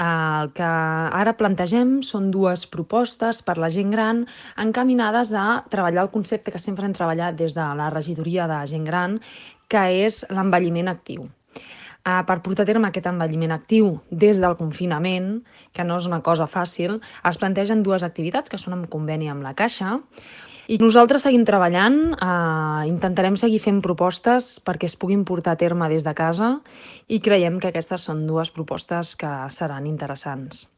El que ara plantegem són dues propostes per la gent gran encaminades a treballar el concepte que sempre hem treballat des de la regidoria de gent gran, que és l'envelliment actiu. Per portar a terme aquest envelliment actiu des del confinament, que no és una cosa fàcil, es plantegen dues activitats que són en conveni amb la Caixa i nosaltres seguim treballant, intentarem seguir fent propostes perquè es puguin portar a terme des de casa i creiem que aquestes són dues propostes que seran interessants.